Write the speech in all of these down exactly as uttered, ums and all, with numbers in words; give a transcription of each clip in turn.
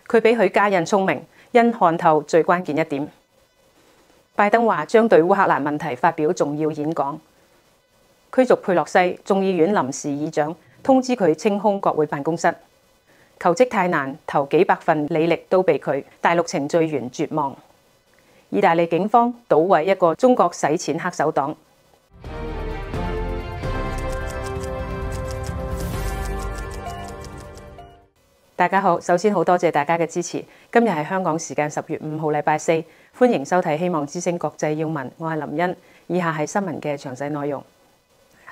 佢比許家印聰明，因看透最關鍵一點。拜登話將對烏克蘭問題發表重要演講。驅逐佩洛西，眾議院臨時議長通知佢清空國會辦公室。求職太難，投幾百份履歷都被拒，大陸程序員絕望。意大利警方搗毀一個中國洗錢黑手黨。大家好，首先好多謝大家嘅支持。今日係香港時間十月五號禮拜四，歡迎收睇《希望之聲國際要聞》，我係林茵。以下係新聞嘅詳細內容。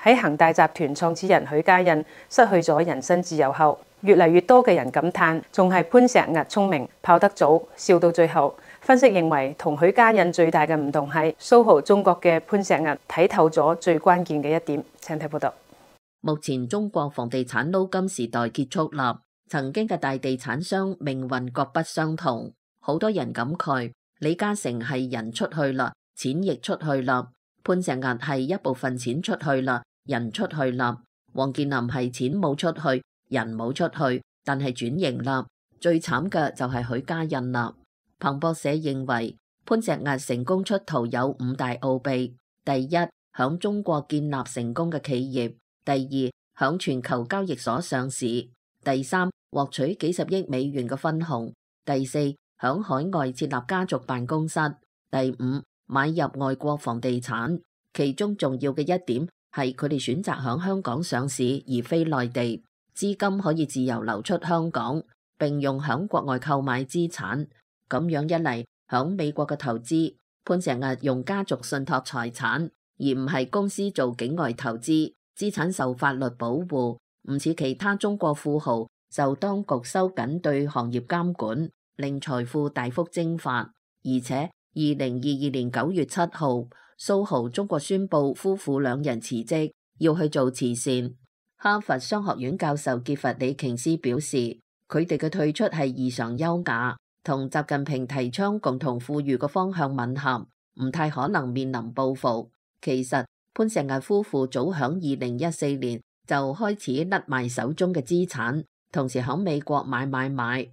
喺恒大集團創始人許家印失去咗人身自由後，越嚟越多嘅人感嘆，仲係潘石屹聰明，跑得早，笑到最後。分析認為，同許家印最大嘅唔同係蘇豪中國嘅潘石屹睇透咗最關鍵嘅一點。請睇報道。目前中國房地產撈金時代結束啦，曾經嘅大地產商命運各不相同。好多人感慨，李嘉誠係人出去啦，錢亦出去啦；潘石屹係一部分錢出去啦，人出去啦；王健林係錢冇出去，人冇出去，但係轉型啦。最慘嘅就係許家印啦。彭博社認為，潘石屹成功出逃有五大奧秘：第一，響中國建立成功嘅企業；第二，響全球交易所上市；第三，獲取幾十億美元嘅分紅；第四，響海外設立家族辦公室；第五，買入外國房地產。其中重要嘅一點係佢哋選擇響香港上市而非內地，資金可以自由流出香港，並用響國外購買資產。咁樣一嚟，響美國嘅投資，潘石屹用家族信託財產，而唔係公司做境外投資，資產受法律保護，唔似其他中國富豪受當局收緊對行業監管，令財富大幅蒸發。而且二零二二年九月七號，蘇豪中國宣布夫婦兩人辭職，要去做慈善。哈佛商學院教授傑弗里瓊斯表示，佢哋嘅退出係異常優雅，同習近平提倡共同富裕嘅方向吻合，唔太可能面臨報復。其實潘石屹夫婦早響二零一四年就開始甩賣手中嘅資產，同時響美國買買買。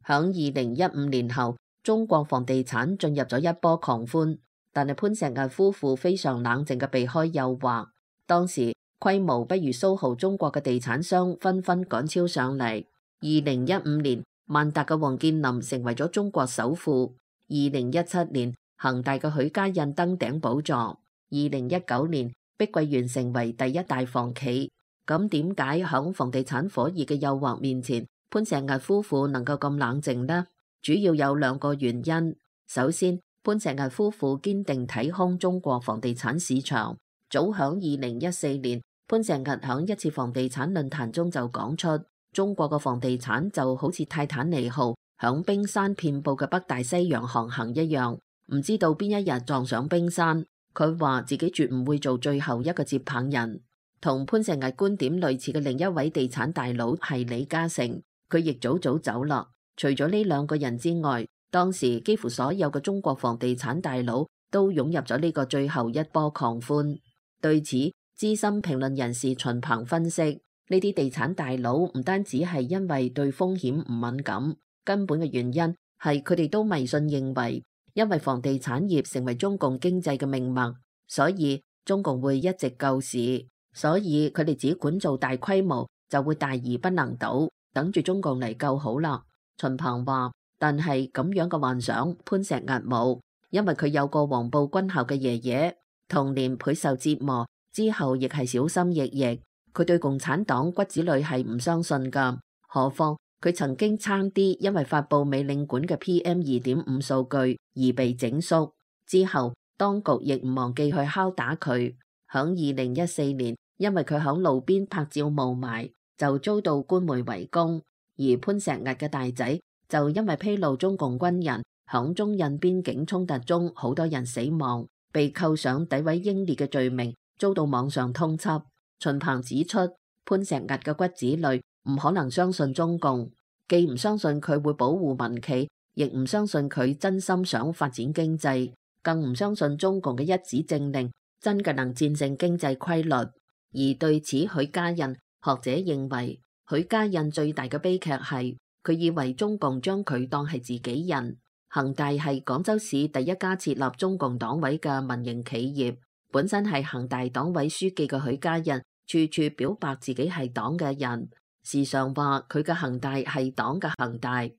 響二零一五年後，中國房地產進入咗一波狂歡，但係潘石屹夫婦非常冷靜嘅避開誘惑。當時規模不如蘇豪中國嘅地產商紛紛趕超上嚟。二零一五年，萬達嘅王健林成為咗中國首富。二零一七年，恒大嘅許家印登頂寶座。二零一九年，碧桂園成為第一大房企。咁點解響房地產火熱嘅誘惑面前，潘石屹夫婦能夠咁冷靜呢？主要有兩個原因。首先，潘石屹夫婦堅定睇空中國房地產市場。早響二零一四年，潘石屹響一次房地產論壇中就講出，中國嘅房地產就好似泰坦尼號響冰山遍佈嘅北大西洋航行一樣，唔知道邊一日撞上冰山。佢話自己絕唔會做最後一個接棒人。同潘石屹觀點類似嘅另一位地產大佬係李嘉誠，佢亦早早走啦。除咗呢兩個人之外，當時幾乎所有嘅中國房地產大佬都湧入咗呢個最後一波狂歡。對此，資深評論人士秦鵬分析，呢啲地產大佬唔單止係因為對風險唔敏感，根本嘅原因係佢哋都迷信認為，因為房地產業成為中共經濟嘅命脈，所以中共會一直救市，所以佢哋只管做大規模就會大而不能倒，等住中共嚟救好啦。秦鵬話，但係咁樣嘅幻想潘石屹冇，因為佢有個黃埔軍校嘅爺爺，童年倍受折磨，之後亦係小心翼翼。佢對共產黨骨子裏係唔相信噶，何況佢曾經差啲因為發佈美領館嘅 P M 二點五數據而被整肅。之後當局亦唔忘記去敲打佢。響二零一四年，因為佢響路邊拍照霧霾，就遭到官媒圍攻。而潘石屹嘅大仔就因為披露中共軍人響中印邊境衝突中好多人死亡，被扣上詆毀英烈嘅罪名，遭到網上通緝。秦鵬指出，潘石屹嘅骨子裏唔可能相信中共，既唔相信佢會保護民企，亦唔相信佢真心想發展經濟，更唔相信中共嘅一紙政令真嘅能戰勝經濟規律。而對此許家印，學者認為許家印最大嘅悲劇係佢以為中共將佢當係自己人。恒大係廣州市第一家設立中共黨委嘅民營企業，本身係恒大黨委書記嘅許家印，處處表白自己係黨嘅人，時常話佢嘅恒大係黨嘅恒大。二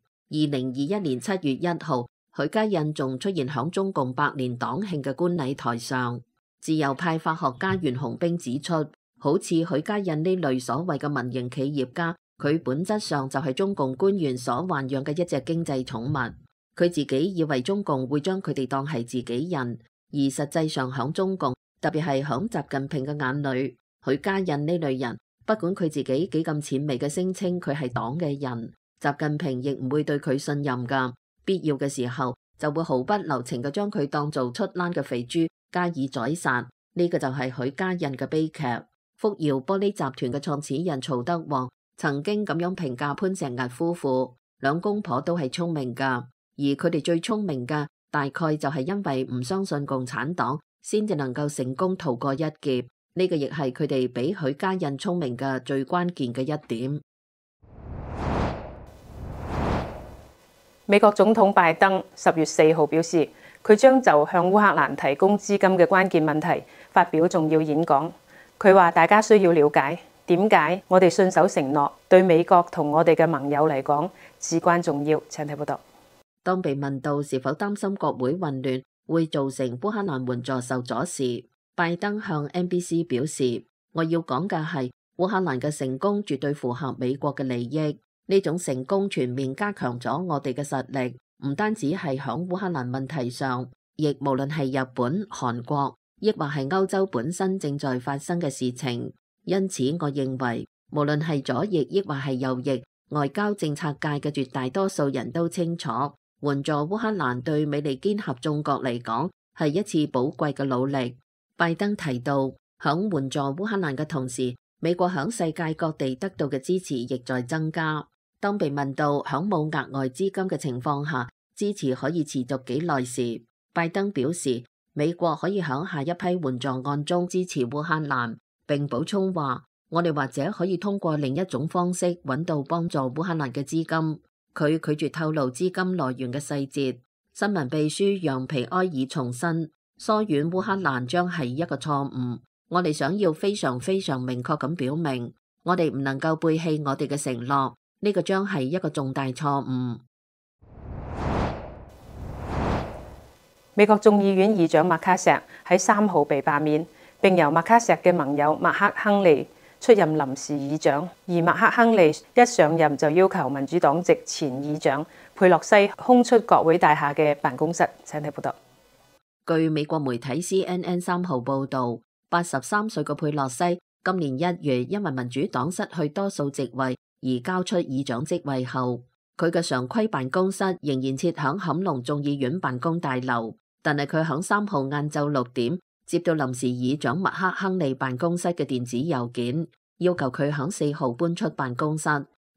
零二一年七月一號，許家印仲出現響中共百年黨慶嘅觀禮台上。自由派法學家袁洪兵指出，好似許家印呢類所謂嘅民營企業家，佢本質上就係中共官員所豢養嘅一隻經濟寵物。佢自己以為中共會將佢哋當係自己人，而實際上響中共，特別係響習近平嘅眼裏，許家印呢類人，不管佢自己幾咁淺微嘅聲稱佢係黨嘅人，習近平亦唔會對佢信任噶。必要嘅時候就會毫不留情嘅將佢當做出欄嘅肥豬加以宰殺。呢個就係許家印嘅悲劇。福耀玻璃集團嘅創始人曹德旺曾經咁樣評價潘石屹夫婦，兩公婆都係聰明噶。而佢哋最聰明嘅，大概就係因為唔相信共產黨，先至能夠成功逃過一劫。呢個亦係佢哋比許家印聰明嘅最關鍵嘅一點。美國總統拜登十月四號表示，佢將就向烏克蘭提供資金嘅關鍵問題發表重要演講。佢話大家需要了解點解我哋信守承諾，對美國同我哋嘅盟友嚟講至關重要。請睇報道。當被問到是否擔心國會混亂會造成烏克蘭援助受阻時，拜登向 N B C 表示：我要講嘅係烏克蘭嘅成功絕對符合美國嘅利益，呢種成功全面加強咗我哋嘅實力，唔單止係響烏克蘭問題上，亦無論係日本、韓國，抑或係歐洲本身正在發生嘅事情。因此，我認為無論係左翼抑或係右翼，外交政策界嘅絕大多數人都清楚，援助烏克蘭對美利堅合眾國嚟講係一次寶貴嘅努力。拜登提到，響援助烏克蘭嘅同時，美國響世界各地得到嘅支持亦在增加。當被問到響冇額外資金嘅情況下，支持可以持續幾耐時，拜登表示，美國可以響下一批援助案中支持烏克蘭，並補充話，我哋或者可以通過另一種方式揾到幫助烏克蘭嘅資金。佢拒絕透露資金來源嘅細節。新聞秘書楊皮埃爾重申，疏遠烏克蘭將係一個錯誤。我哋想要非常非常明確咁表明，我哋唔能夠背棄我哋嘅承諾，呢個將係一個重大錯誤。美國眾議院議長麥卡錫喺三號被罷免，並由麥卡錫嘅盟友麥克亨利出任臨時議長，而麥克亨利一上任就要求民主黨籍前議長佩洛西空出國會大廈嘅辦公室。請睇報道。據美國媒體 C N N 三號報道，八十三歲嘅佩洛西今年一月因為民主黨失去多數席位而交出議長職位後，佢嘅常規辦公室仍然設響坎農眾議院辦公大樓，但係佢響三號晏晝六點接到臨時議長麥克亨利辦公室嘅電子郵件，要求佢響四號搬出辦公室。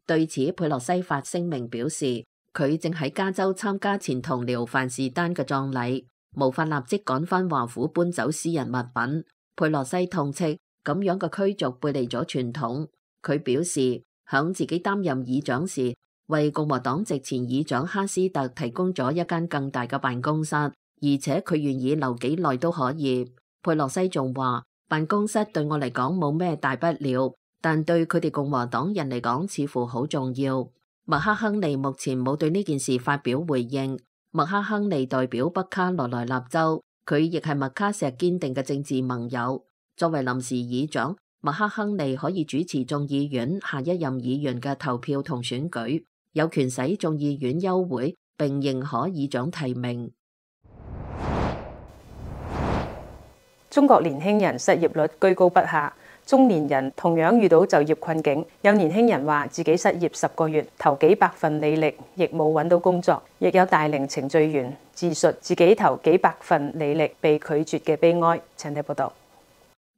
對此，佩洛西發聲明表示，佢正喺加州參加前同僚范士丹嘅葬禮，無法立即趕返華府搬走私人物品。佩洛西痛斥咁樣嘅驅逐背離咗傳統。佢表示，響自己擔任議長時，為共和黨籍前議長哈斯特提供咗一間更大嘅辦公室，而且佢願意留幾耐都可以。佩洛西仲話，辦公室對我嚟講冇咩大不了，但對佢哋共和黨人嚟講似乎好重要。麥克亨利目前冇對呢件事發表回應。麥克亨利代表北卡羅來納州，佢亦係麥卡錫堅定嘅政治盟友。作為臨時議長，麥克亨利可以主持眾議院下一任議員嘅投票同選舉，有權使眾議院休會並認可議長提名。中國年輕人失業率居高不下，中年人同樣遇到就業困境。有年輕人話自己失業十個月，投幾百份履歷，亦冇揾到工作。亦有大齡程序員自述自己投幾百份履歷被拒絕嘅悲哀。請睇報道。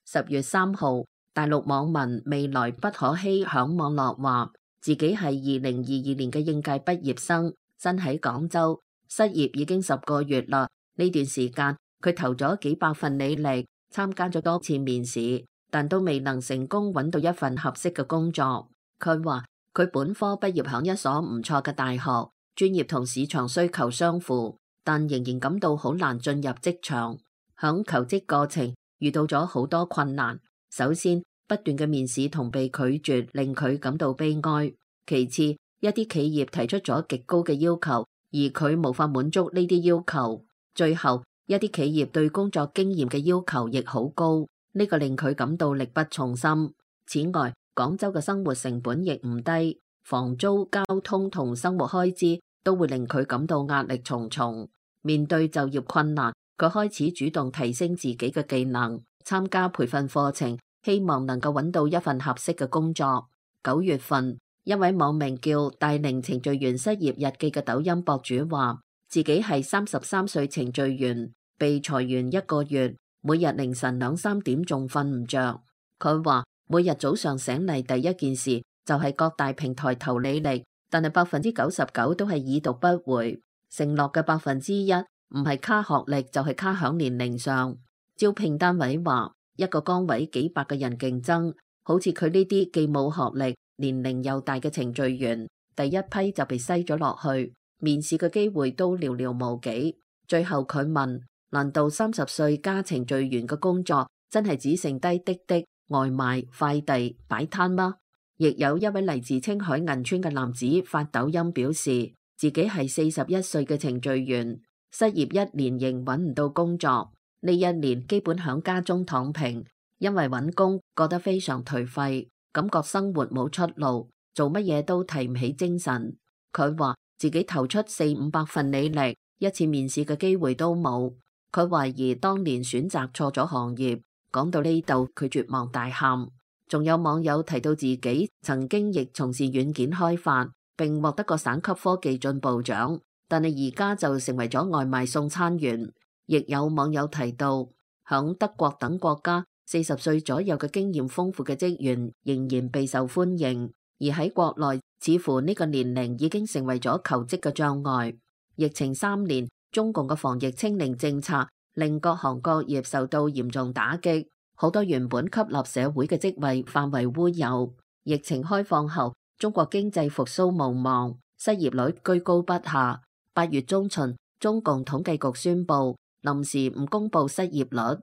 十月三號，大陸網民未來不可欺響網絡話，自己係二零二二年嘅應屆畢業生，身喺廣州，失業已經十個月啦。呢段時間，佢投咗幾百份履歷，參加咗多次面試，但都未能成功揾到一份合適嘅工作。佢話佢本科畢業響一所唔錯嘅大學，專業同市場需求相符，但仍然感到好難進入職場。響求職過程遇到咗好多困難。首先，不斷嘅面試同被拒絕令佢感到悲哀。其次，一啲企業提出咗極高嘅要求，而佢無法滿足呢啲要求。最後，一啲企業對工作經驗嘅要求亦好高，呢個令佢感到力不從心。此外，廣州嘅生活成本亦唔低，房租、交通同生活開支都會令佢感到壓力重重。面對就業困難，佢開始主動提升自己嘅技能，參加培訓課程，希望能夠揾到一份合適嘅工作。九月份，一位網名叫大齡程序員失業日記嘅抖音博主話，自己係三十三歲程序員，被裁員一個月，每日凌晨兩三點仲瞓唔着。佢話每日早上醒嚟第一件事就係各大平台投履歷，但係百分之九十九都係已讀不回。承諾嘅百分之一唔係卡學歷就係卡響年齡上。招聘單位話一個崗位幾百個人競爭，好似佢呢啲既冇學歷、年齡又大嘅程序員，第一批就被篩咗落去，面試嘅機會都寥寥無幾。最後佢問，難道三十歲加程序員嘅工作真係只剩低滴滴、外賣、快遞、擺攤嗎？亦有一位嚟自青海銀川嘅男子發抖音表示，自己係四十一歲嘅程序員，失業一年仍揾唔到工作，呢一年基本響家中躺平，因為揾工覺得非常頹廢，感覺生活冇出路，做乜嘢都提唔起精神。佢話自己投出四五百份履歷，一次面試嘅機會都冇。佢懷疑當年選擇錯咗行業。講到呢度，佢絕望大喊。仲有網友提到自己曾經亦從事軟件開發，並獲得過省級科技進步獎，但係而家就成為咗外賣送餐員。亦有網友提到，響德國等國家，四十歲左右嘅經驗豐富嘅職員仍然備受歡迎，而喺國內，似乎呢個年齡已經成為咗求職嘅障礙。疫情三年，中共嘅防疫清零政策令各行各業受到嚴重打擊，好多原本吸納社會嘅職位化為烏有。疫情開放後，中國經濟復甦無望，失業率居高不下。八月中旬，中共統計局宣布臨時唔公布失業率。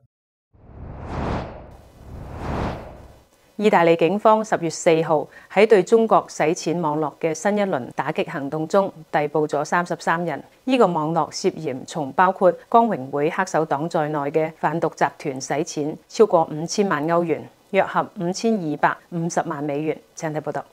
意大利警方十月四號喺對中國洗錢網絡嘅新一輪打擊行動中，逮捕咗三十三人。呢個網絡涉嫌從包括光榮會黑手黨在內嘅販毒集團洗錢超過五千萬歐元，約合五千二百五十萬美元。請睇報道。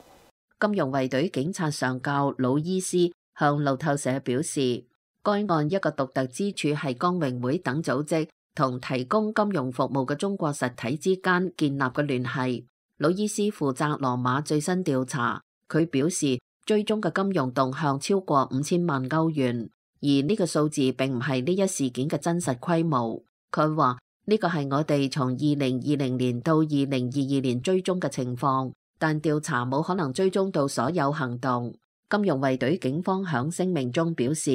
金融衛隊警察上校魯伊斯向路透社表示，該案一個獨特之處係光榮會等組織同提供金融服務嘅中國實體之間建立嘅聯繫。魯伊斯負責羅馬最新調查，佢表示追蹤嘅金融動向超過五千萬歐元，而呢個數字並唔係呢一事件嘅真實規模。佢話呢個係我哋從二零二零年到二零二二年追蹤嘅情況，但調查冇可能追蹤到所有行動。金融衛隊警方響聲明中表示，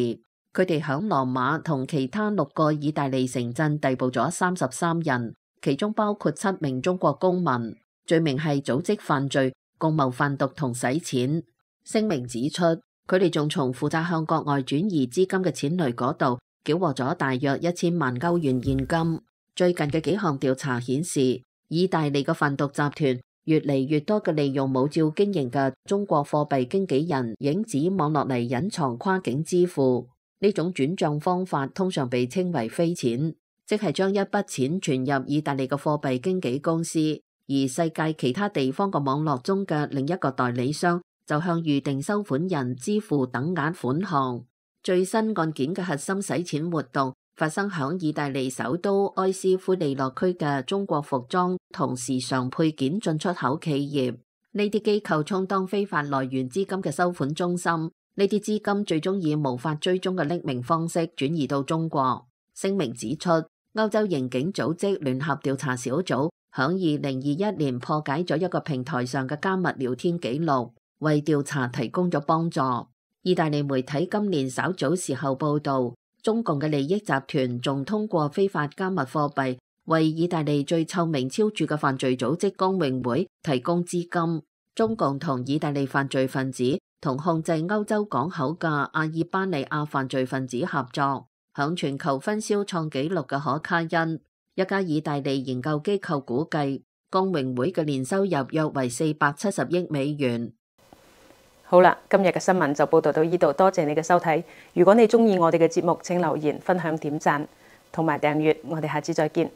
佢哋響羅馬同其他六個意大利城鎮逮捕咗三十三人，其中包括七名中國公民。罪名係組織犯罪、共謀販毒同洗錢。聲明指出，佢哋仲從負責向國外轉移資金嘅錢雷嗰度繳獲咗大約一千萬歐元現金。最近嘅幾項調查顯示，意大利嘅販毒集團越嚟越多嘅利用冇照經營嘅中國貨幣經紀人影子網絡嚟隱藏跨境支付。呢種轉賬方法通常被稱為飛錢，即係將一筆錢存入意大利嘅貨幣經紀公司。而世界其他地方嘅網絡中嘅另一個代理商就向預定收款人支付等額款項。最新案件嘅核心洗錢活動發生響意大利首都埃斯夫利諾區嘅中國服裝同時尚配件進出口企業。呢啲機構充當非法來源資金嘅收款中心，呢啲資金最終以無法追蹤嘅匿名方式轉移到中國。聲明指出，歐洲刑警組織聯合調查小組響二零二一年破解咗一個平台上嘅加密聊天記錄，為調查提供咗幫助。意大利媒體今年稍早時候報道，中共嘅利益集團仲通過非法加密貨幣，為意大利最臭名昭著嘅犯罪組織光榮會提供資金。中共同意大利犯罪分子同控制歐洲港口嘅阿爾巴尼亞犯罪分子合作，響全球分銷創紀錄嘅可卡因。一家意大利研究機構估計，工榮會嘅年收入約為四百七十億美元。好啦，今日嘅新聞就報道到呢度，多謝你嘅收睇。如果你中意我哋嘅節目，請留言、分享、點讚同埋訂閱。我哋下次再見。